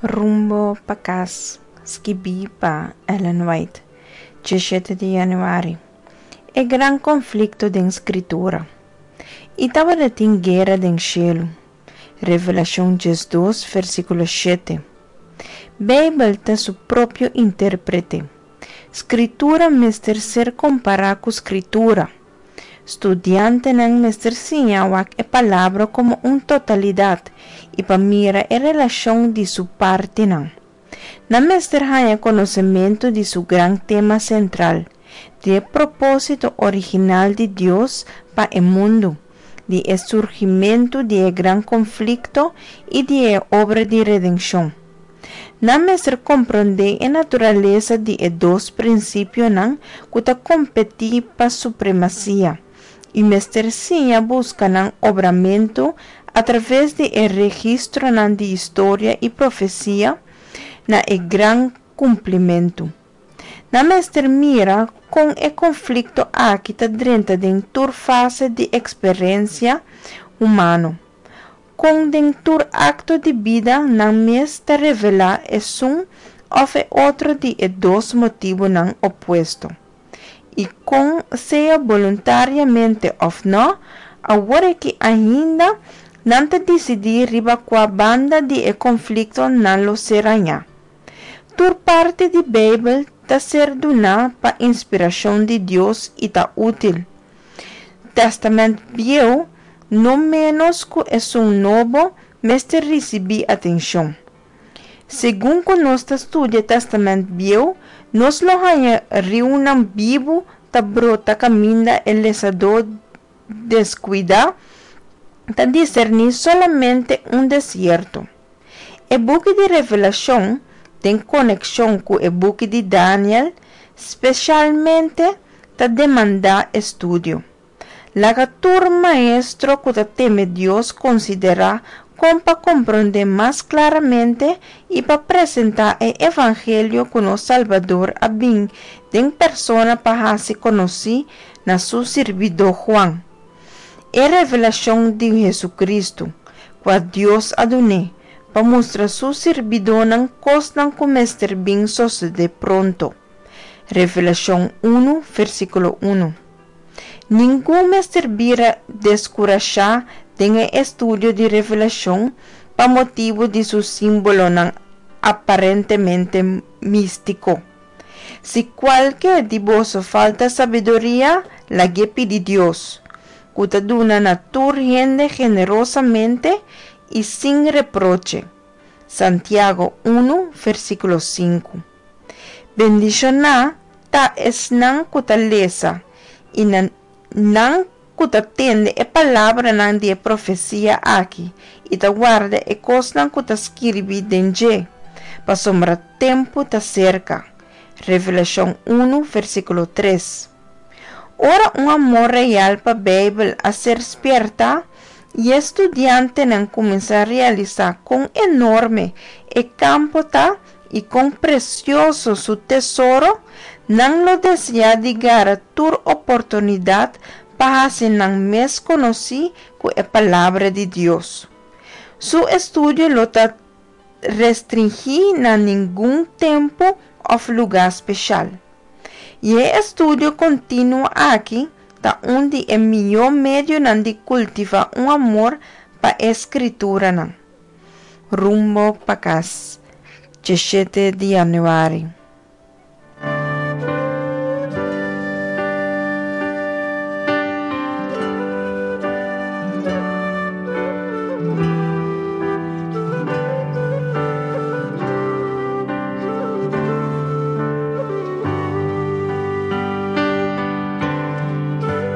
Rumbo pa kas, skibí pa Ellen White, 17 di yanüari. E gran konflikto den Skritura. I tabatin guera den shelu. Revelashon 12, versíkulo 7. Beibel ta su propio intérprete. Skritura mester ser kompará ku Skritura. Studiantenan mester siña wak e Palabra komo un totalidat i pa mira e relashon di su partinan. Nan mester haña konosementu di su gran tema sentral, di e propósito original di Dios pa e mundu, di e surgimentu di e gran konflikto i di e obra di redenshon. Nan mester komprondé e naturalesa di e dos prinsipionan ku ta kompetí pa supremasia, i mester siña buska nan obramentu atraves di e registronan di historia i profesia na e gran kumplimentu. Nan mester mira kon e konflikto aki ta drenta den tur fase di eksperensia humano. Kon den tur akto di bida nan mes ta revelá esun òf e otro di e dos motibunan opuesto. I kon, sea boluntariamente òf nò, awor aki ainda nan ta disidí riba kua banda di e konflikto nan lo ser hañá. Tur parti di Beibel ta ser duná pa inspirashon di Dios i ta útil. Tèstamènt Bieu, no ménos ku esun Nobo, mester risibí atenshon. Segun ku nos ta studia Tèstamènt Bieu, nos lo haña riunan bibu ta brota kaminda e lesadó deskuidá ta diserní solamente un desierto. E buki di Revelashon, den konekshon ku e buki di Daniel, spesialmente ta demandá estudio. Laga tur maestro ku ta teme Dios konsiderá kon pa komprondé mas klaramente i pa presentá e evangelio ku nos Salbador a bin den persona pa hasi konosí na su sirbidó Juan. E revelashon di Hesukristu, kua Dios a dun'é, pa mustra su sirbidónan kosnan ku mester bin sosodé pronto. Revelashon unu, versíkulo unu. Ningun mester bira deskurashá den e estudio di Revelashon pa motibu di su símbolonan aparentemente místiko. Si kualke di boso falta sabiduria, lag'é pidi Dios, ku ta duna na tur hende generosamente i sin reproche. Santiago unu, versíkulo sinku. Bendishoná ta esnan ku ta lesa i na nan ku ta tende e palabranan di e profesia aki i ta warda e kosnan ku ta skirbi den dje, pasobra tempu ta serka. Revelashon unu, versíkulo tres. Ora un amor real pa Beibel a ser spiertá i e studiantenan kuminsá realisá kon enorme e kampo ta i kon presioso su tesoro, nan lo deseá di gara tur oportunidat pa hasi nan mes konosí ku e Palabra di Dios. Su estudio lo ta restringí na ningun tempu òf lugá speshal. I e estudio kontinuo aki ta un di e mihó medionan di kultivá un amor pa e Skrituranan. Rumbo pa kas, 17 di yanüari.